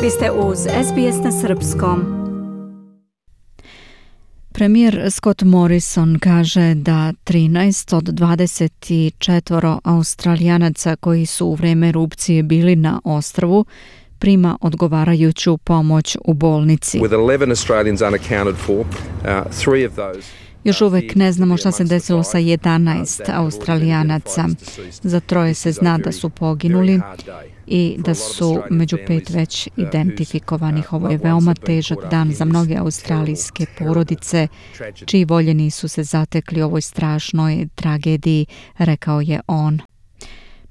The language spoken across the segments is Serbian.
Vi ste uz SBS na srpskom. Premijer Scott Morrison kaže da 13 od 24 Australijanaca koji su u vrijeme erupcije bili na ostrvu prima odgovarajuću pomoć u bolnici. Još uvijek ne znamo šta se desilo sa 11 Australijanaca. Za 3 se zna da su poginuli i da su među 5 već identifikovanih. Ovo je veoma težak dan za mnoge australijske porodice čiji voljeni su se zatekli u ovoj strašnoj tragediji, rekao je on.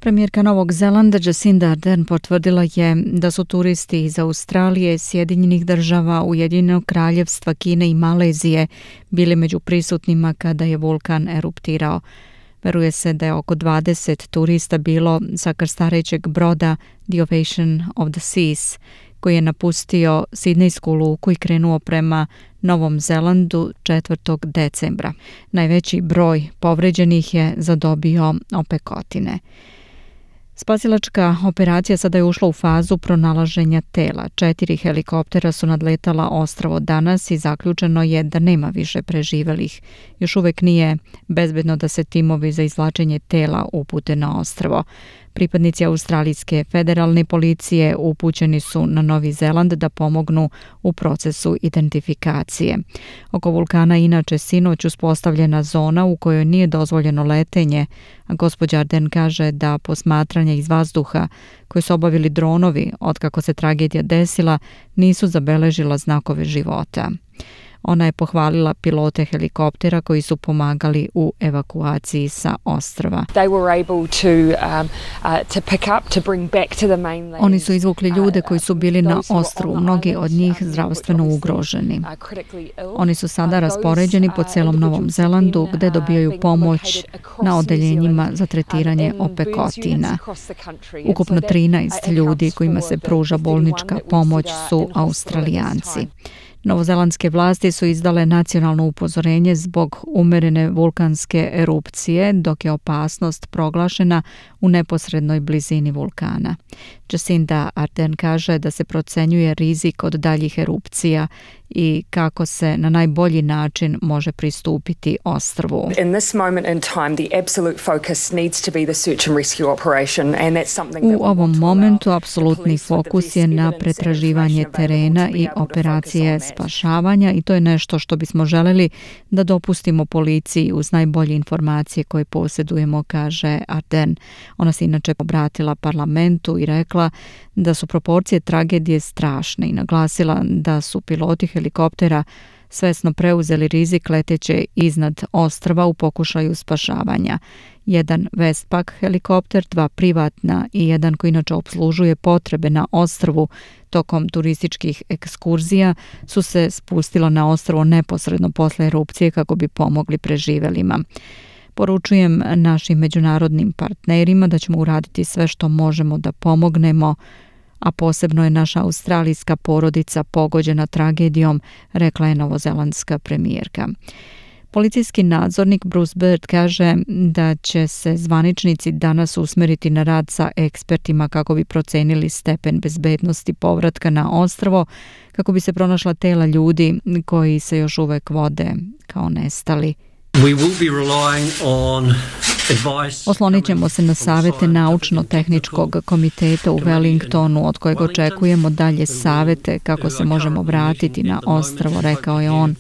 Premijerka Novog Zelanda Jacinda Ardern potvrdila je da su turisti iz Australije, Sjedinjenih Država, Ujedinjenog Kraljevstva, Kine i Malezije bili među prisutnima kada je vulkan eruptirao. Veruje se da je oko 20 turista bilo sa krstarećeg broda The Ovation of the Seas, koji je napustio Sidnejsku luku i krenuo prema Novom Zelandu 4. decembra. Najveći broj povređenih je zadobio opekotine. Spasilačka operacija sada je ušla u fazu pronalaženja tela. 4 helikoptera su nadletala ostrvo danas i zaključeno je da nema više preživelih. Još uvijek nije bezbedno da se timovi za izvlačenje tela upute na ostrvo. Pripadnici australijske federalne policije upućeni su na Novi Zeland da pomognu u procesu identifikacije. Oko vulkana inače sinoć uspostavljena zona u kojoj nije dozvoljeno letenje, a gospođa Ardern kaže da posmatranja iz vazduha koje su obavili dronovi otkako se tragedija desila nisu zabeležila znakove života. Ona je pohvalila pilote helikoptera koji su pomagali u evakuaciji sa ostrva. Oni su izvukli ljude koji su bili na ostrvu, mnogi od njih zdravstveno ugroženi. Oni su sada raspoređeni po celom Novom Zelandu gde dobijaju pomoć na odeljenjima za tretiranje opekotina. Ukupno 13 ljudi kojima se pruža bolnička pomoć su Australijanci. Novozelandske vlasti su izdale nacionalno upozorenje zbog umerene vulkanske erupcije, dok je opasnost proglašena u neposrednoj blizini vulkana. Jacinda Ardern kaže da se procenjuje rizik od daljih erupcija i kako se na najbolji način može pristupiti ostrvu. U ovom momentu apsolutni fokus je na pretraživanje terena i operacije spašavanja i to je nešto što bismo želeli da dopustimo policiji uz najbolje informacije koje posjedujemo, kaže Ardern. Ona se inače obratila parlamentu i rekla da su proporcije tragedije strašne i naglasila da su piloti helikoptera svesno preuzeli rizik leteće iznad ostrva u pokušaju spašavanja. Jedan Westpac helikopter, 2 privatna i jedan koji inače opslužuje potrebe na ostrvu tokom turističkih ekskurzija su se spustila na ostrvo neposredno posle erupcije kako bi pomogli preživelima. Poručujem našim međunarodnim partnerima da ćemo uraditi sve što možemo da pomognemo, a posebno je naša australijska porodica pogođena tragedijom, rekla je novozelandska premijerka. Policijski nadzornik Bruce Bird kaže da će se zvaničnici danas usmeriti na rad sa ekspertima kako bi procenili stepen bezbednosti povratka na ostrvo, kako bi se pronašla tela ljudi koji se još uvek vode kao nestali. Oslonit ćemo se na savete Naučno-tehničkog komiteta u Wellingtonu, od kojeg očekujemo dalje savete kako se možemo vratiti na ostrvo, rekao je on.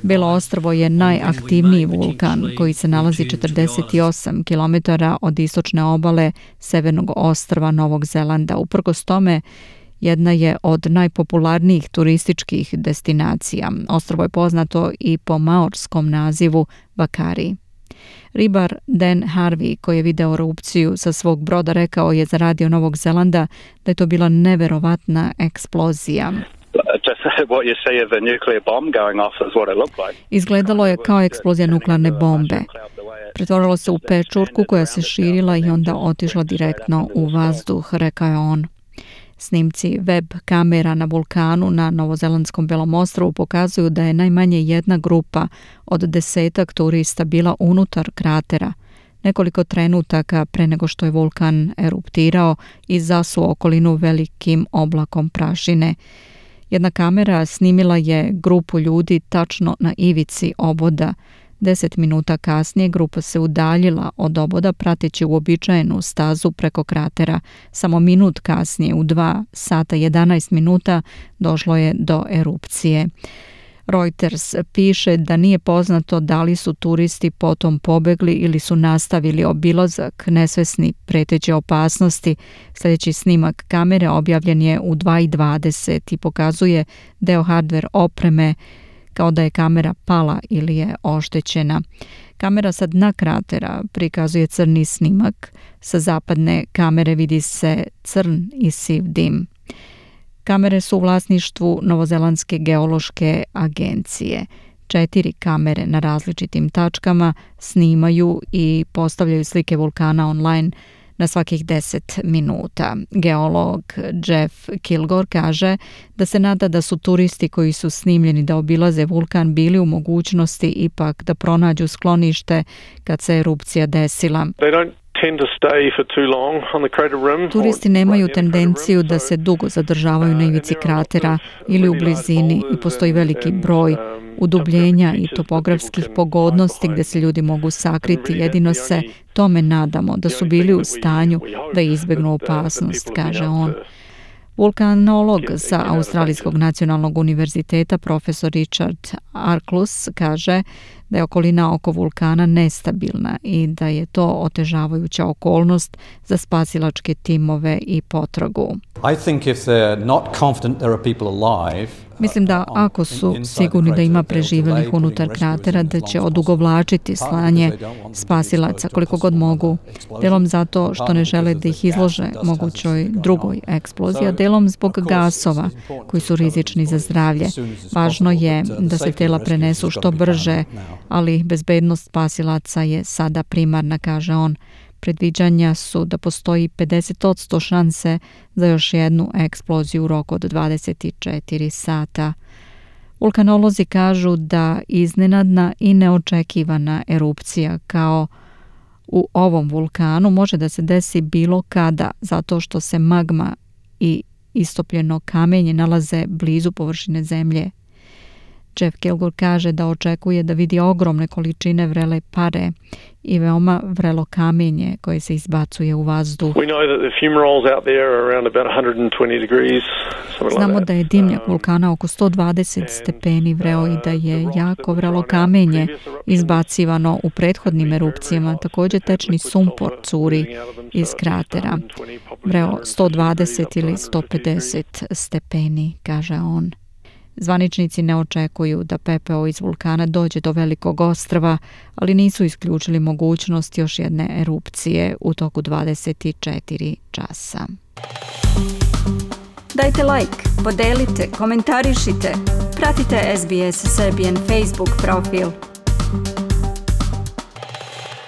Belo ostrvo je najaktivniji vulkan koji se nalazi 48 km od istočne obale severnog ostrva Novog Zelanda. Uprkos tome, jedna je od najpopularnijih turističkih destinacija. Ostrvo je poznato i po maorskom nazivu Vakari. Ribar Dan Harvey, koji je video erupciju sa svog broda, rekao je za radio Novog Zelanda da je to bila neverovatna eksplozija. Izgledalo je kao eksplozija nuklearne bombe. Pretvorilo se u pečurku koja se širila i onda otišla direktno u vazduh, rekao je on. Snimci web kamera na vulkanu na novozelandskom Belom ostrvu pokazuju da je najmanje jedna grupa od 10 turista bila unutar kratera. nekoliko trenutaka pre nego što je vulkan eruptirao i zasuo okolinu velikim oblakom prašine. Jedna kamera snimila je grupu ljudi tačno na ivici oboda. 10 minuta kasnije grupa se udaljila od oboda prateći uobičajenu stazu preko kratera. Samo minut kasnije, u 2 sata 11 minuta, došlo je do erupcije. Reuters piše da nije poznato da li su turisti potom pobegli ili su nastavili obilazak, nesvesni preteće opasnosti. Sljedeći snimak kamere objavljen je u 2:20 i pokazuje deo hardware opreme kao da je kamera pala ili je oštećena. Kamera sa dna kratera prikazuje crni snimak. Sa zapadne kamere vidi se crn i siv dim. Kamere su u vlasništvu Novozelandske geološke agencije. 4 kamere na različitim tačkama snimaju i postavljaju slike vulkana online na svakih 10 minuta. Geolog Jeff Kilgore kaže da se nada da su turisti koji su snimljeni da obilaze vulkan bili u mogućnosti ipak da pronađu sklonište kad se erupcija desila. Turisti nemaju tendenciju da se dugo zadržavaju na ivici kratera ili u blizini i postoji veliki broj udubljenja i topografskih pogodnosti gdje se ljudi mogu sakriti. Jedino se tome nadamo da su bili u stanju da izbjegnu opasnost, kaže on. Vulkanolog sa Australijskog nacionalnog univerziteta profesor Richard Arklus kaže da je okolina oko vulkana nestabilna i da je to otežavajuća okolnost za spasilačke timove i potragu. Mislim da ako su sigurni da ima preživjelih unutar kratera, da će odugovlačiti slanje spasilaca koliko god mogu, delom zato što ne žele da ih izlože mogućoj drugoj eksploziji, a delom zbog gasova koji su rizični za zdravlje. Važno je da se tela prenesu što brže, ali bezbednost spasilaca je sada primarna, kaže on. Predviđanja su da postoji 50% šanse za još jednu eksploziju u roku od 24 sata. Vulkanolozi kažu da iznenadna i neočekivana erupcija kao u ovom vulkanu može da se desi bilo kada, zato što se magma i istopljeno kamenje nalaze blizu površine zemlje. Jeff Kilgore kaže da očekuje da vidi ogromne količine vrele pare i veoma vrelo kamenje koje se izbacuje u vazduh. Znamo da je dimnjak vulkana oko 120 stepeni vreo i da je jako vrelo kamenje izbacivano u prethodnim erupcijama. Također tečni sumpor curi iz kratera. Vreo 120 ili 150 stepeni, kaže on. Zvaničnici ne očekuju da pepeo iz vulkana dođe do velikog ostrva, ali nisu isključili mogućnost još jedne erupcije u toku 24 časa. Dajte like, podelite, komentarišite, pratite SBS Serbian Facebook profil.